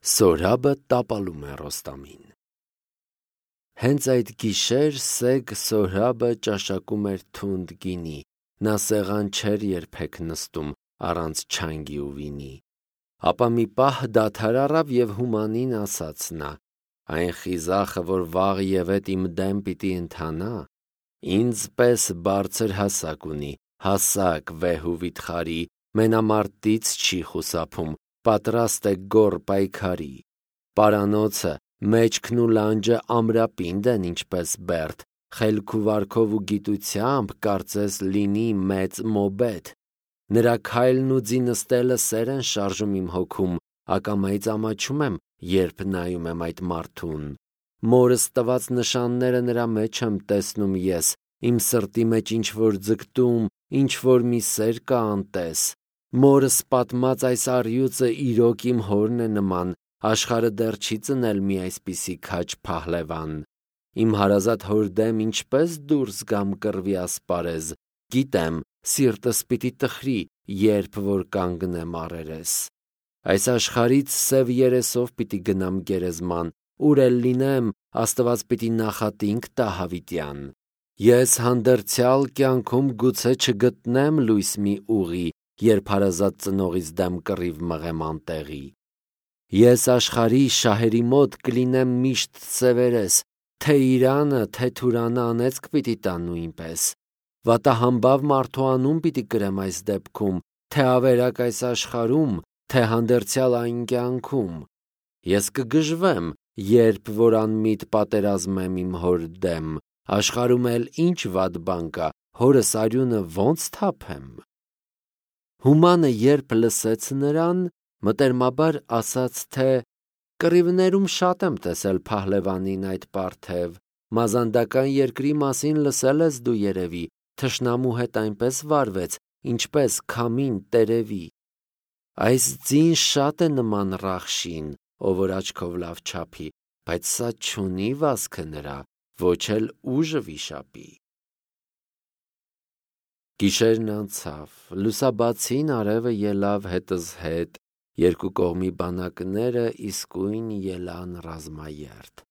Սորաբը տապալում է Ռոստամին։ Հենց այդ գիշեր Սեգ Սորաբը ճաշակում էր թունդ գինի, նա սեղան չէր երբեք նստում առանց չանգի ու վինի։ Ապա մի պահ դադար առավ և հումանին ասաց նա. «Այն խիզախը, որ վաղ ևեթ իմ դեմ պիտի ընթանա, ինձ պես բարձր հասակ ունի, հասակ վեհ ու վիթխարի, մենամարտից չի խուսափում, պատրաստ է գոռ պայքարի։ Պարանոցը, մեջքն ու լանջը ամրապինդ են ինչպես բերդ, խելք ու վարքով ու գիտությամբ կարծես լինի մեծ մոբեդ։ Նրա քայլն ու ձի նստելը սեր են շարժում իմ հոգում, ակամայից ամաչում եմ, երբ նայում եմ այդ մարդուն։ Մորս տված նշանները նրա մեջ եմ տեսնում ես, իմ սրտի մեջ ինչ-որ ձգտում, ինչ-որ մի սեր կա անտես։ Մորս պատմած այս առյուծը իրոք իմ հորն է նման, աշխարհը դեռ չի ծնել մի այսպիսի քաջ փահլևան։ Իմ հարազատ հոր դեմ ինչպես դուրս գամ կռվի ասպարեզ, գիտեմ, սիրտս պիտի տխրի, երբ որ կանգնեմ առերես։ Այս աշխարհից սև երեսով պիտի գնամ գերեզման, ուր էլ լինեմ, Աստված պիտի նախատինք տա հավիտյան։ Ես հանդերձյալ կյանքում գուցե չգտնեմ լույս մի ուղի, երբ հարազատ ծնողից դեմ կռիվ մղեմ անտեղի։ Ես աշխարհի շահերի մոտ կլինեմ միշտ սևերես, թե Իրանը, թե Թուրանը անեծք պիտի տա նույնպես։ Վատահամբավ մարդու անուն պիտի կրեմ այս դեպքում, թե ավերակ այս աշխարհում, թե հանդերձյալ այն կյանքում։ Ես կգժվեմ, երբ որ անմիտ պատերազմեմ իմ հոր դեմ, աշխարհում էլ ինչ վատ բան կա, հորս արյունը ո՞նց թափեմ։ Հումանը երբ լսեց նրան, մտերմաբար ասաց, թե կռիվներում շատ եմ տեսել փահլևանին այդ պարթև, մազանդական երկրի մասին լսել ես դու երևի, թշնամու հետ այնպես վարվեց, ինչպես քամին տերևի։ Այս ձին շատ է նման Ռախշին, ով որ աչքով լավ չափի, բայց սա չունի վազքը նրա, ոչ էլ ուժը վիշապի։ Գիշերն անցավ, լուսաբացին արևը ելավ հետս հետ, երկու կողմի բանակները իսկույն ելան ռազմաերթ։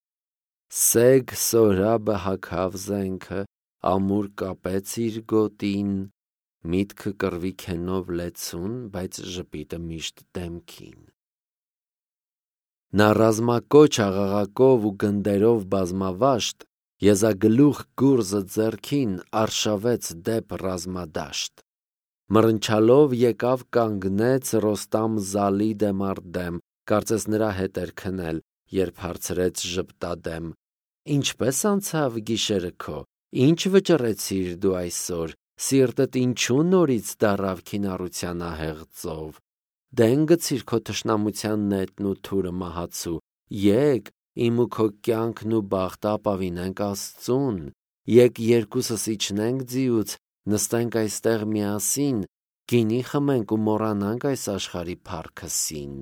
Սեգ Սորաբը հագավ զենքը, ամուր կապեց իր գոտին, միտքը կռվի քենով լեցուն, բայց ժպիտը միշտ դեմքին։ Նա ռազմակոչ աղաղակով ու գնդերով բազմավաշտ, եզագլուխ գուրզը ձեռքին արշավեց դեպ ռազմադաշտ։ Մռնչալով եկավ կանգնեց Ռոստամ Զալի դեմ առ դեմ, կարծես նրա հետ էր քնել, երբ հարցրեց ժպտադեմ. «Ինչպես անցավ գիշերը քո, ինչ վճռեցիր դու այսօր, սիրտդ ինչու նորից դառավ քինառության ահեղ ծով։ Դեն գցիր քո թշնամության նետն ու թուրը մահացու, եկ իմ ու քո կյանքն ու բախտը ապավինենք Աստծուն, եկ երկուսս իջնենք ձիուց, նստենք այստեղ միասին, գինի խմենք ու մոռանանք այս աշխարհի փառքըսին։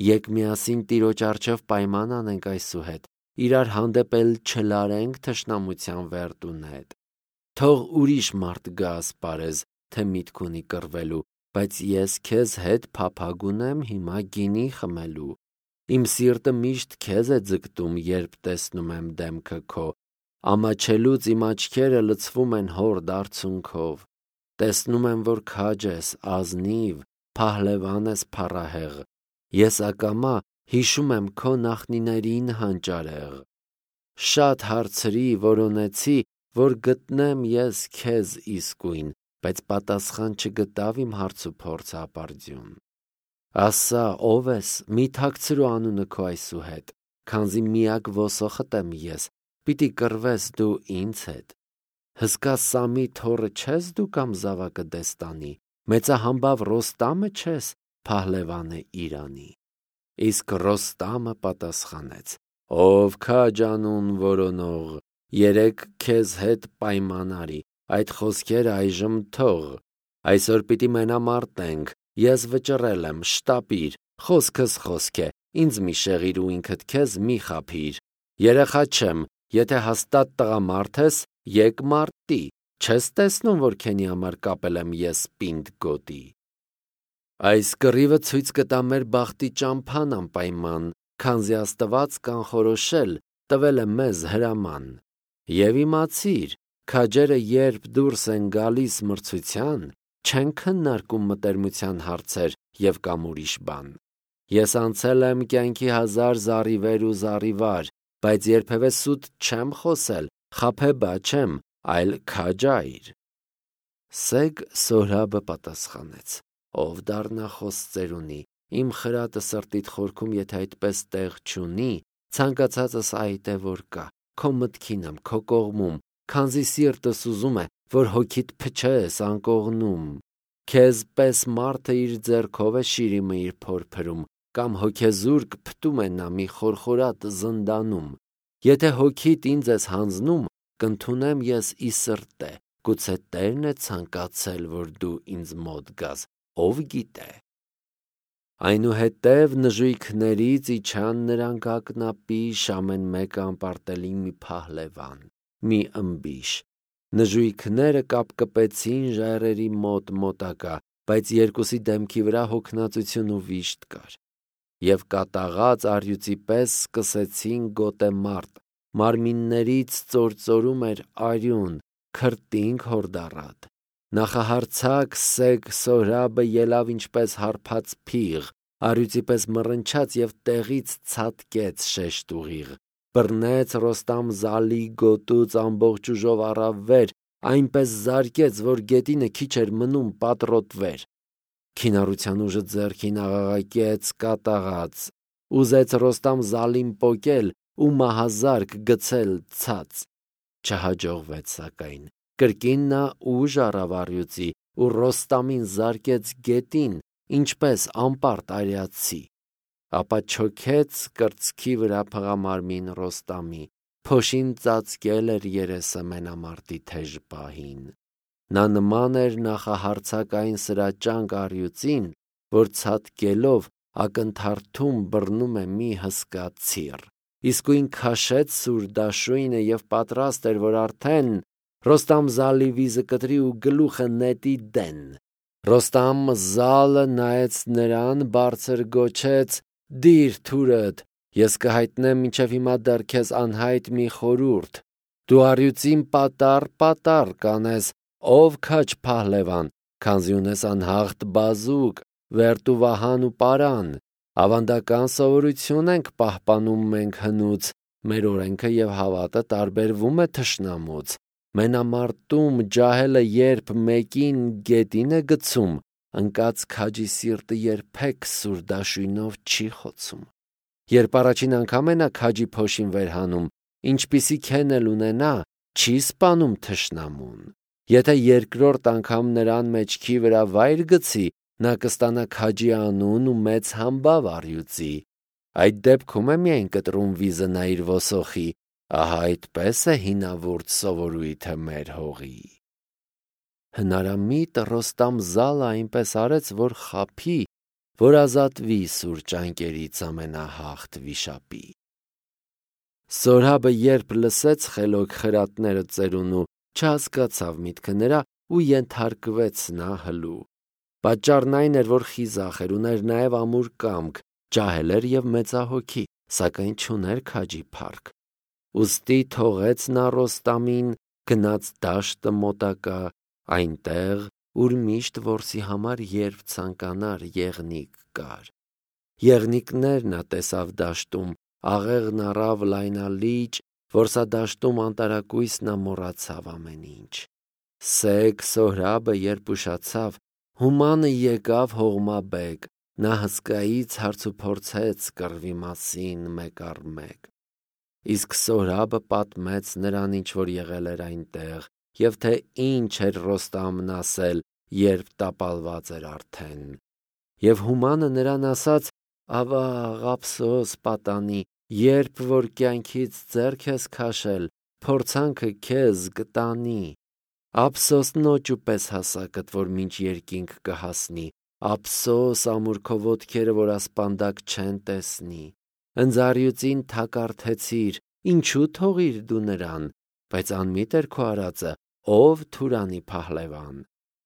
Եկ միասին Տիրոջ առջև պայման անենք այսուհետ, իրար հանդեպ էլ չլարենք թշնամության վերտուն հետ։ Թող ուրիշ մարդ գա ասպարեզ, թե միտք ունի կռվելու, բայց ես քեզ հետ փափագ ունեմ հիմա գինի խմելու։ Իմ սիրտը միշտ քեզ է ձգտում, երբ տեսնում եմ դեմքը քո, ամաչելուց իմ աչքերը լցվում են հորդ արցունքով։ Տեսնում եմ, որ քաջ ես, ազնիվ, փահլևան ես փառահեղ։ Ես ակամա հիշում եմ քո նախնիներին հանճարեղ։ Շատ հարցրի, որոնեցի, որ գտնեմ ես քեզ իսկույն, բայց պատասխան չգտավ իմ հարց ու փորձը ապարդյուն։ Ասա, ով ես, մի թաքցրու անունը քո այսուհետ, քանզի միակ ոսոխդ եմ ես, պիտի կռվես դու ինձ հետ։ Հսկա Սամի թոռը չես դու կամ զավակը Դեստանի, մեծահամբավ Ռոստամը չես, փահլևանը Իրանի։ Իսկ Ռոստամը պատասխանեց. ով քաջ անուն որոնող, երեկ քեզ հետ պայման արի, այդ խոսքերը այժմ թող։ Այսօր պիտի մենամարտենք, ես վճռել եմ, շտապիր, խոսքս խոսք է, ինձ մի շեղիր ու ինքդ քեզ մի խաբիր։ Երեխա չեմ, եթե հաստատ տղամարդ ես, եկ մարտի, չես տեսնում, որ քենի համար կապել եմ ես պինդ գոտի։ Այս կռիվը ցույց կտա մեր բախտի ճամփան անպայման, քանզի Աստված կանխորոշել տվել է մեզ հրաման։ Եվ իմացիր, քաջերը երբ դուրս են գալիս մրցության, չեն քննարկում մտերմության հարցեր և կամ ուրիշ բան։ Ես անցել եմ կյանքի 1000 զառիվեր ու զառիվար, բայց երբևէ սուտ չեմ խոսել, խաբեբա չեմ, այլ քաջայր։ Սեգ Սոհրաբը պատասխանեց. ով դառնախոս ծերունի, իմ խրատը սրտիդ խորքում եթե այդպես տեղ չունի, ցանկացածս այդ է որ կա, քո մտքին եմ, քո կողմում, քանզի սիրտս ուզում է, որ հոգիդ փչես անկողնում։ Քեզ պես մարդը իր ձեռքով է շիրիմը իր փորփրում, կամ հոգեզուրկ փտում է նա մի խորխորատ զնդանում։ Եթե հոգիդ ինձ ես հանձնում, կընդունեմ ես ի սրտե, գուցե Տերն է ցանկացել, որ դու ինձ մոտ գաս, ով գիտե։ Այնուհետև նժույգներից իջան նրանք ակնապիշ ամեն մեկը անպարտելի մի փահլևան, մի ըմբիշ։ Նժույգները կապկպեցին ժայռերի մոտակա, բայց երկուսի դեմքի վրա հոգնածություն ու վիշտ կար։ Եվ կատաղած առյուծի պես սկսեցին գոտեմարտ, մարմիններից ծործորում էր արյուն, քրտինք հորդառատ։ Նախահարձակ Սեգ Սոհրաբը ելավ ինչպես հարբած փիղ, առյուծի պես մռնչաց և տեղից ցատկեց շեշտ ուղիղ, բռնեց Ռոստամ-Զալի գոտուց ամբողջ ուժով առավ վեր, այնպես զարկեց, որ գետինը քիչ էր մնում պատռոտվեր։ Քինառության ուժը ձեռքին աղաղակեց կատաղած, ուզեց Ռոստամ-Զալին պոկել ու մահազարկ գցել ցած։ Չհաջողվեց սակայն, կրկին նա ուժ առավ առյուծի ու Ռոստամին զարկեց գետին, ինչպես անպարտ արիացի։ Ապա չոքեց կրծքի վրա փղամարմին Ռոստամի, փոշին ծածկել էր երեսը մենամարտի թեժ պահին։ Նա նման էր նախահարձակ այն սրաճանկ առյուծին, որ ցատկելով ակնթարթում բռնում է մի հսկա ցիր։ Իսկույն քաշեց սուր դաշույնը և պատրաստ էր, որ արդեն Ռոստամ-Զալի վիզը կտրի ու գլուխը նետի դեն։ Ռոստամ-Զալը նայեց նրան, բարձր գոչեց. «Դիր թուրդ, ես կհայտնեմ մինչև հիմա դեռ քեզ անհայտ մի խորհուրդ։ Դու առյուծին պատառ կանես, ով քաջ փահլևան, քանզի ունես անհաղթ բազուկ, վերտ ու վահան ու պարան։ Ավանդական սովորություն ենք պահպանում մենք հնուց, մեր օրենքը և հավատը տարբերվում է թշնամուց։ Մենամարտում ջահելը երբ մեկին գետին է գցում, ընկած քաջի սիրտը երբեք սուր դաշույնով չի խոցում։ Երբ առաջին անգամ է նա քաջի փոշին վեր հանում, ինչպիսիք են էլ ունենա, չի սպանում թշնամուն։ Եթե երկրորդ անգամ նրան մեջքի վրա վայր գցի, նա կստանա քաջի անուն ու մեծ համբավ առյուծի։ Այդ դեպքում է միայն կտրում վիզը նա իր ոսոխի, ահա այդպես է հինավուրց սովորույթը մեր հողի։ Հնարամիտ Ռոստամ-Զալը այնպես արեց, որ խաբի, որ ազատվի սուր ճանկերից ամենահաղթ վիշապի։ Սոհրաբը երբ լսեց խելոք խրատները ծերունու, չհասկացավ միտքը նրա ու ենթարկվեց նա հլու։ Պատճառն այն էր, որ խիզախ էր, ուներ նաև ամուր կամք, ջահել էր և մեծահոգի, սակայն չուներ քաջի փառք։ Ուստի թողեց նա Ռոստամին, գնաց դաշտը մոտակա, այնտեղ, ուր միշտ որսի համար երբ ցանկանար եղնիկ կար։ Եղնիկներ նա տեսավ դաշտում, աղեղն առավ լայնալիճ, որսադաշտում անտարակույս նա մոռացավ ամեն ինչ։ Սեգ Սոհրաբը երբ ուշացավ, հումանը եկավ հողմաբեկ, նա հսկայից հարցուփորձեց կռվի մասին մեկ առ մեկ։ Իսկ Սոհրաբը պատմեց նրան, ինչ որ եղել էր այնտեղ, և թե ինչ էր Ռոստամն ասել, երբ տապալված էր արդեն։ Եվ հումանը նրան ասաց. «Ավաղ, ափսոս պատանի, երբ որ կյանքից ձեռք ես քաշել, փորձանքը քեզ կտանի։ Ափսոս նոճու պես հասակդ, որ մինչ երկինք կհասնի, ափսոս ամուր քո ոտքերը, որ ասպանդակ չեն տեսնի։ Ընձառյուծին թակարդեցիր, ինչու թողիր դու նրան, բայց անմիտ էր քո արածը, ով Թուրանի փահլևան։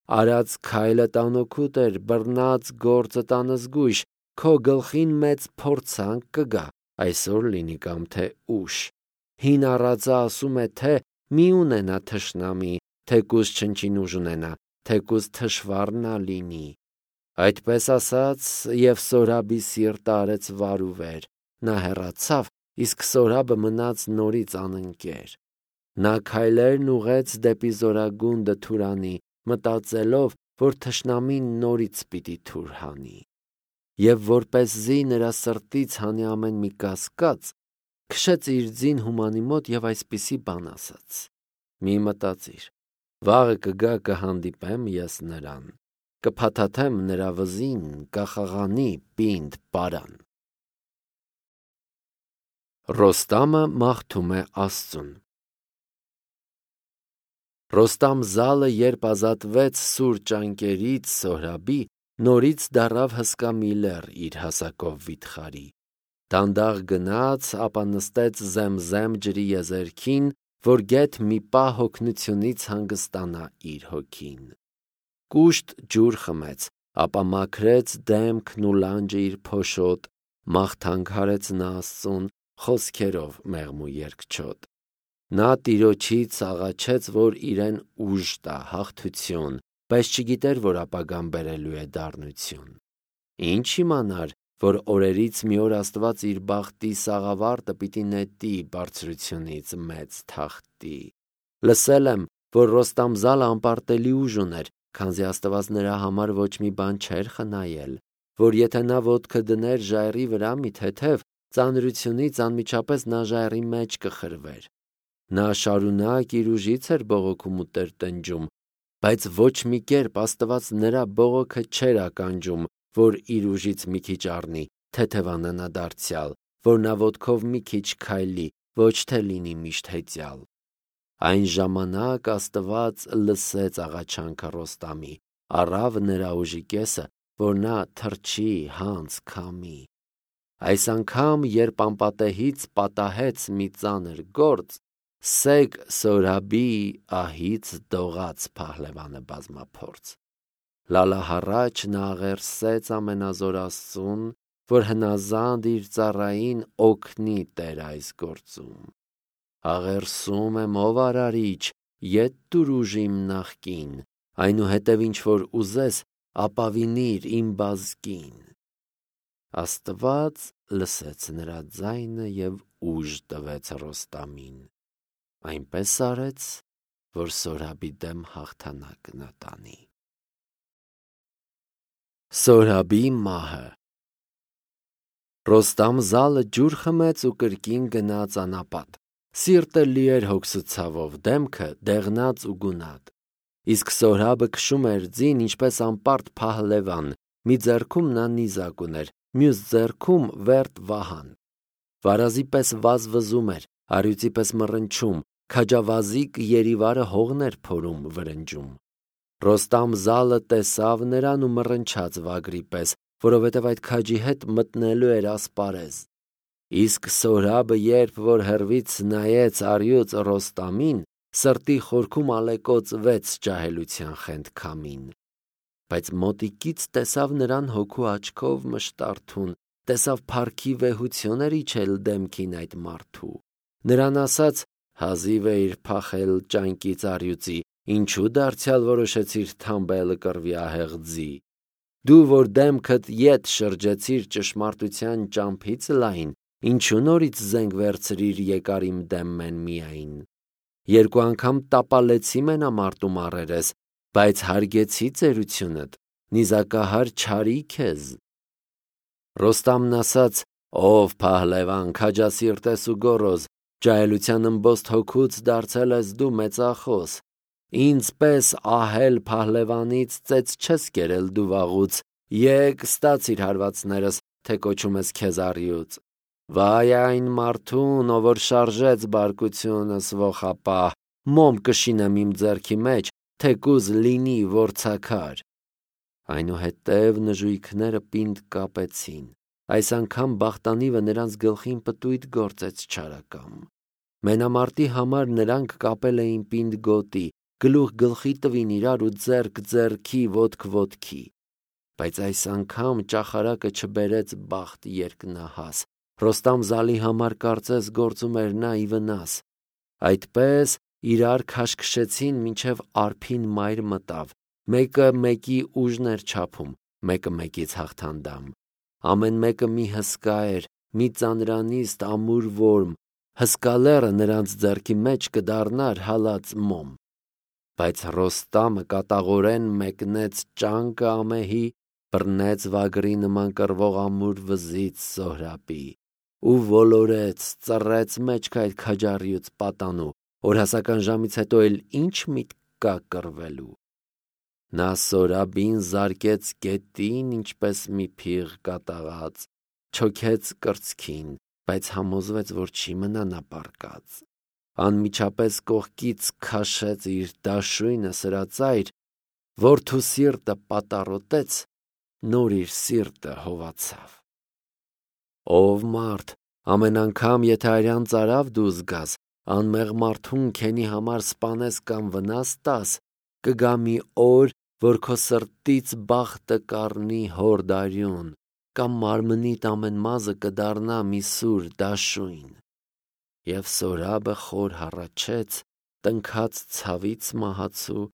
արած քայլը տանոքուտ էր, բռնած գործը տանզգույշ, քո գլխին մեծ փորձանք կգա, այսօր լինի կամ թե ուշ։ Հին առածը ասում է, թե մի ունենա թշնամի, թեկուզ չնչին ուժ ունենա, թեկուզ թշվառնա լինի։ Այդպես ասաց, և Սորաբի սիրտը արեց վար ու վեր, նա հեռացավ, իսկ Սորաբը մնաց նորից անընկեր։ Նա քայլերն ուղեց դեպի զորագունդը Թուրանի, մտածելով, որ թշնամին նորից պիտի թուր հանի։ Եվ որպեսզի նրա սրտից հանի ամեն մի կասկած, քշեց իր ձին Հումանի մոտ և այսպիսի բան ասաց. «Մի մտածիր, վաղը կգա կհանդիպեմ ես նրան, կփաթաթեմ նրա վզին, կախաղանի պինդ պարան»։ Ռոստամը մաղթում է Աստծուն։ Ռոստամ զալը երբ ազատվեց սուր ճանկերից Սոհրաբի, նորից դառավ հսկա մի լեռ իր հասակով վիթխարի։ Դանդաղ գնաց, ապա նստեց Զեմզեմ ջրի եզերքին, որ գեթ մի պահ հոգնությունից հանգստանա իր հոգին։ Կուշտ ջուր խմեց, ապա մաքրեց դեմքն ու լանջը իր փոշոտ, մաղթանք արեց նա Աստծուն խոսքերով մեղմ ու երկչոտ։ Նա Տիրոջից աղաչեց, որ իրեն ուժ տա, հաղթություն, բայց չգիտեր, որ ապագան բերելու է դառնություն։ Ինչ իմանար, որ օրերից մի օր Աստված իր բախտի սաղավարտը պիտի նետի բարձրությունից մեծ թախտի։ Լսել եմ, որ Ռոստամ զալը անպարտելի ուժ ուներ, քանզի Աստված նրա համար ոչ մի բան չէր խնայել, որ եթե նա ոտքը դներ ժայռի վրա մի թեթև, ծանրությունից անմիջապես նա ժայռի մեջ կխրվեր։ Նա շարունակ իր ուժից էր բողոքում ու տրտնջում, բայց ոչ մի կերպ Աստված նրա բողոքը չէր ականջում, որ իր ուժից մի քիչ առնի, թեթևանա դարձյալ, որ նա ոտքով մի քիչ քայլի, ոչ թե լինի միշտ հեծյալ։ Այն ժամանակ Աստված լսեց աղաչանքը Ռոստամի, առավ նրա ուժի կեսը, որ նա թռչի, հանց քամի։ Այս անգամ, երբ անպատեհից պատահեց մի ծանր գործ, Սեգ Սորաբի ահից դողաց փահլևանը բազմափորձ։ Լալահառաչ նա աղերսեց ամենազոր Աստծուն, որ հնազանդ իր ծառային օգնի Տեր այս գործում։ Աղերսում եմ, ով արարիչ, ետ տուր ուժ իմ նախկին, այնուհետև ինչ որ ուզես, ապավինիր իմ բազկին։ Աստված լսեց նրա ձայնը և ուժ տվեց Ռոստամին։ Այնպես արեց, որ Սորաբի դեմ հաղթանակ նա տանի։ Սորաբի մահը։ Ռոստամ զալը ջուր խմեց ու կրկին գնաց անապատ։ Սիրտը լի էր հոգսությամբ, դեմքը դեղնած ու գունատ։ Իսկ Սորաբը քշում էր ձին, ինչպես անպարտ փահլևան, մի ձեռքում նա նիզակ ուներ, մյուս ձեռքում վերտ վահան։ Վարազի պես վազվզում էր, առյուծի պես մռնչում, քաջավազիկ երիվարը հողն էր փորում վրնջում։ Ռոստամ զալը տեսավ նրան ու մռնչաց վագրի պես, որովհետև այդ քաջի հետ մտնելու էր ասպարեզ։ Իսկ Սորաբը երբ որ հեռվից նայեց առյուծ Ռոստամին, սրտի խորքում ալեկոծվեց ջահելության խենթքամին։ Բայց մոտիկից տեսավ նրան հոգու աչքով մշտարթուն, տեսավ փառքի վեհություն էր իջել դեմքին այդ մարդու։ Նրան ասաց. «Հազիվ էիր փախել ճանկից առյուծի, ինչու դարձյալ որոշեցիր թամբելը կռվի ահեղ ձի։ Դու որ դեմքդ ետ շրջեցիր ճշմարտության ճամփից լայն, ինչու նորից զենք վերցրիր եկար իմ դեմ մեն միայն։ Երկու անգամ տապալեցի մենամարտում առերես, բայց հարգեցի ծերությունդ, նիզակահար չարի քեզ»։ Ռոստամն ասաց. «Ով փահլևան, քաջասիրտ ես ու գոռոզ, ջահելության ըմբոստ հոգուց դարձել ես դու մեծախոս։ Ինձ պես ահել փահլևանից ծեծ չես կերել դու վաղուց, եկ ստացիր հարվածներս, թե կոչում ես քեզ առյուծ։ Վայ այն մարդուն, ով որ շարժեց բարկությունս ոխապահ, մոմ կշինեմ իմ ձեռքի մեջ, թեկուզ լինի որցաքար»։ Այնուհետև նժույգները պինդ կապեցին։ Այս անգամ բախտանիվը նրանց գլխին պտույտ գործեց չարակամ։ Մենամարտի համար նրանք կապել էին պինդ գոտի, գլուխ գլխի տվին իրար ու ձեռք ձեռքի, ոտք ոտքի։ Բայց այս անգամ ճախարակը չբերեց բախտ երկնահաս։ Ռոստամ Զալի համար կարծես գործում էր նա ի վնաս։ Այդպես իրար քաշքշեցին, մինչև արփին մայր մտավ։ Մեկը մեկի ուժն էր չափում, մեկը մեկից հաղթանդամ։ Ամեն մեկը մի հսկա էր, մի ծանրանիստ ամուր որմ։ Հսկա լեռը նրանց ձեռքի մեջ կդառնար հալած մոմ։ Բայց Ռոստամը կատաղորեն մեկնեց ճանկը ամեհի, բռնեց վագրի նման կռվող ամուր վզից Սոհրաբի ու ոլորեց, ծռեց մեջք այդ քաջառյուծ պատանու, օրհասական ժամից հետո էլ ինչ միտք կա կռվելու։ Նա Սոհրաբին զարկեց գետին, ինչպես մի փիղ կատաղած, չոքեց կրծքին, բայց համոզվեց, որ չի մնա նա պառկած։ Անմիջապես կողքից քաշեց իր դաշույնը սրածայր, որդու սիրտը պատառոտեց, նոր իր սիրտը հովացավ։ Ով մարդ, ամեն անգամ եթե արյան ծարավ դու զգաս, անմեղ մարդուն քենի համար սպանես կամ վնաս տաս, կգա մի օր, որ քո սրտից բախտը կառնի հորդարյուն, կամ մարմնիդ ամեն մազը կդառնա մի սուր դաշույն։ Եվ Սոհրաբը խոր հառաչեց, տնքաց ցավից մահացու,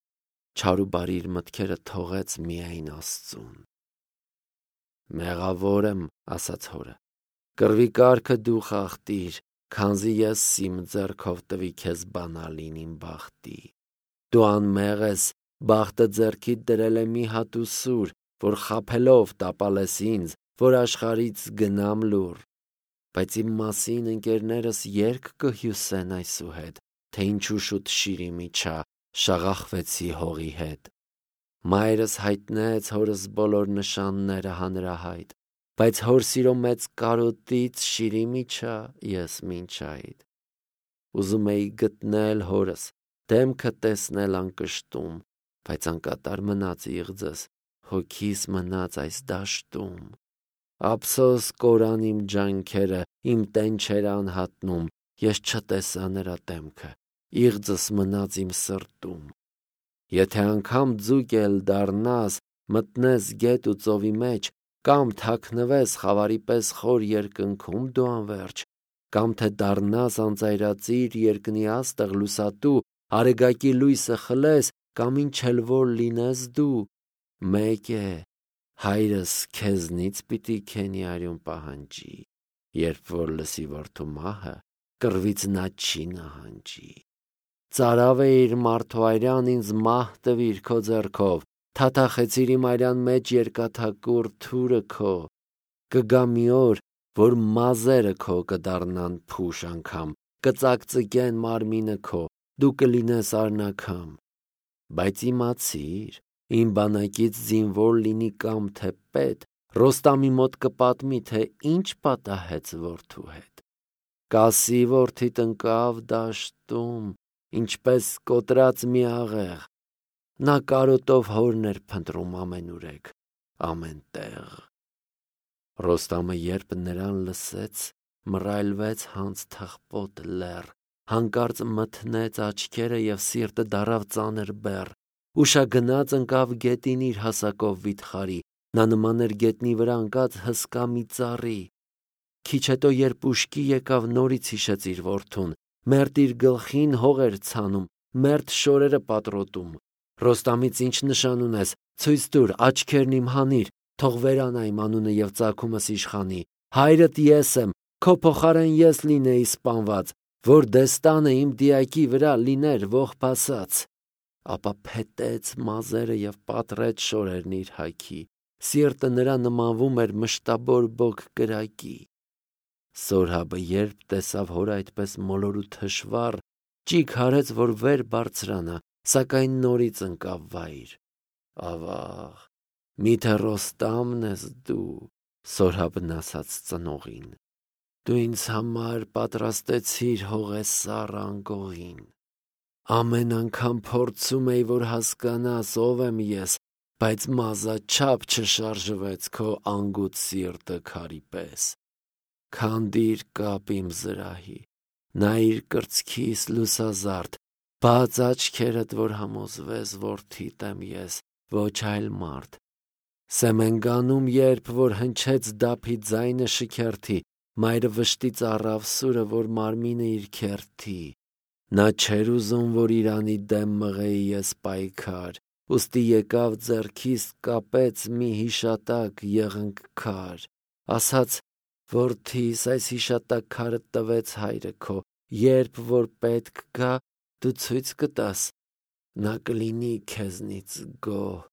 չար ու բարի իր մտքերը թողեց միայն Աստծուն։ Մեղավոր եմ, ասաց հորը, կռվի կարգը դու խախտիր, քանզի ես իմ ձեռքով տվի քեզ բանալին իմ բախտի։ Դու անմեղ ես, բախտը ձեռքիդ դրել է մի հատ ուսուր, որ խաբելով տապալես ինձ, որ աշխարհից գնամ լուռ։ Բայց իմ մասին ընկերներս երգ կհյուսեն այսուհետ, թե ինչու շուտ շիրիմի չա, շաղախվեցի հողի հետ։ Մայրս հայտնեց հորս բոլոր նշանները հանրահայտ, բայց հոր սիրո մեծ կարոտից շիրիմի չա ես մինչ այդ։ Ուզում էի գտնել հորս, դեմքը տեսնել անկշտում, բայց անկատար մնաց իղձս, հոգիս մնաց այս դաշտում։ Ափսոս կորան իմ ջանքերը, իմ տենչերը անհատնում, ես չտեսա նրա դեմքը, իղձս մնաց իմ սրտում։ Եթե անգամ ձուկ էլ դառնաս, մտնես գետ ու ծովի մեջ, կամ թաքնվես խավարի պես խոր երկնքում դու անվերջ, կամ թե դառնաս անծայրածիր երկնի աստղ լուսատու, արեգակի լույսը խլես, կամ ինչ էլ որ լինես դու, մեկ է, հայրս քեզնից պիտի քենի արյուն պահանջի, երբ որ լսի որդու մահը, կռվից նա չի նահանջի։ Ծարավ էիր մարդու այրան, ինձ մահ տվիր քո ձեռքով, թաթախեցիր իմ այրան մեջ երկաթակուռ թուրը քո։ Կգա մի օր, որ մազերը քո կդառնան փուշ անգամ, կծակծկեն մարմինը քո, դու կլինես արնաքամ։ Բայց իմացիր, իմ բանակից զինվոր լինի կամ թե պետ, Ռոստամի մոտ կպատմի, թե ինչ պատահեց որդու հետ։ Կասի որդիդ ընկավ դաշտում, ինչպես կոտրած մի աղեղ, նա կարոտով հորն էր փնտրում ամենուրեք, ամեն տեղ։ Ռոստամը երբ նրան լսեց, մռայլվեց հանց թխպոտ լեռ, հանկարծ մթնեց աչքերը և սիրտը դառավ ծանր բեռ, ուշագնաց ընկավ գետին իր հասակով վիթխարի, նա նման էր գետնի վրա ընկած հսկա մի ծառի։ Քիչ հետո երբ ուշքի եկավ, նորից հիշեց իր որդուն, մերթ իր գլխին հող էր ցանում, մերթ շորերը պատռոտում։ Ռոստամից ինչ նշան ունես, ցույց տուր, աչքերն իմ հանիր, թող վերանայ իմ անունը և ծագումս իշխանի, հայրդ ես եմ, քո փոխարեն ես լինեի սպանված, որ դեստանը իմ դիակի վրա լիներ ողբասած։ Ապա փետեց մազերը և պատռեց շորերն իր հագի, սիրտը նրա նմանվում էր մշտաբոր բոք կրակի։ Սորհաբը երբ տեսավ հորը այդպես մոլոր ու թշվառ, ճիգ հարեց, որ վեր բարձրանա, սակայն նորից ընկավ վայր։ Ավաղ, միթե Ռոստամն ես դու, Սորհաբն ասաց ծնողին, դու ինձ համար պատրաստեցիր հողեսառ անկողին։ Ամեն անգամ փորձում էի, որ հասկանաս ով եմ ես, բայց մազաչափ չշարժվեց քո անգութ սիրտը քարի պես։ Քանդիր կապ իմ զրահի, նայիր կրծքիս լուսազարդ, բաց աչքերդ, որ համոզվես, որդիդ եմ ես, ոչ այլ մարդ։ Սեմենգանում երբ որ հնչեց դափի ձայնը շքերթի, մայրը վշտից առավ սուրը, որ մարմինը իր քերթի։ Նա չէր ուզում, որ իրանի դեմ մղեի ես պայքար, ուստի եկավ ձեռքիս կապեց մի հիշատակ եղնկ քար, ասաց. «Որդիս, այս հիշատակ քարը տվեց հայրը քո, երբ որ պետք գա, դու ցույց կտաս, նա կլինի քեզնից գոհ»։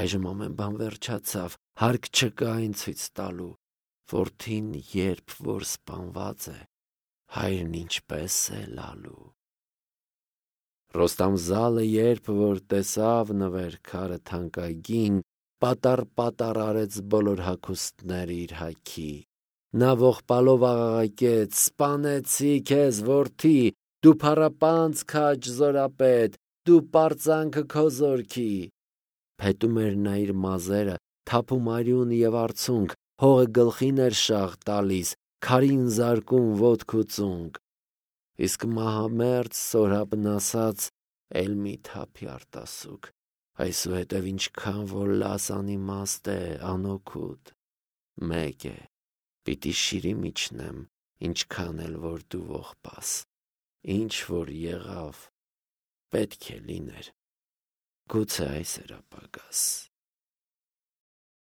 Այժմ ամեն բան վերջացավ, հարկ չկա այն ցույց տալու։ Որդին երբ որ սպանված է, հայրն ինչպես է լալու։ Ռոստամ-Զալը երբ որ տեսավ նվեր քարը թանկագին, պատառ արեց բոլոր հագուստները իր հագի։ Նա ողբալով աղաղակեց. «Սպանեցի քեզ, որդի, դու փառապանծ քաջ զորապետ, դու պարծանքը քո զորքի»։ Փետում էր նա իր մազերը, թափում արյուն և արցունք, հողը գլխին էր շաղ տալիս, քարին զարկում ոտք ու ծունկ։ Իսկ մահամերձ Սորաբն ասաց. «Էլ մի թափի արտասուք, այսուհետև ինչքան որ լաս անիմաստ է, անօգուտ։ Մեկ է, պիտի շիրիմն իջնեմ, ինչքան էլ որ դու ողբաս։ Ինչ որ եղավ, պետք է լիներ, գուցե այս էր ապագաս»։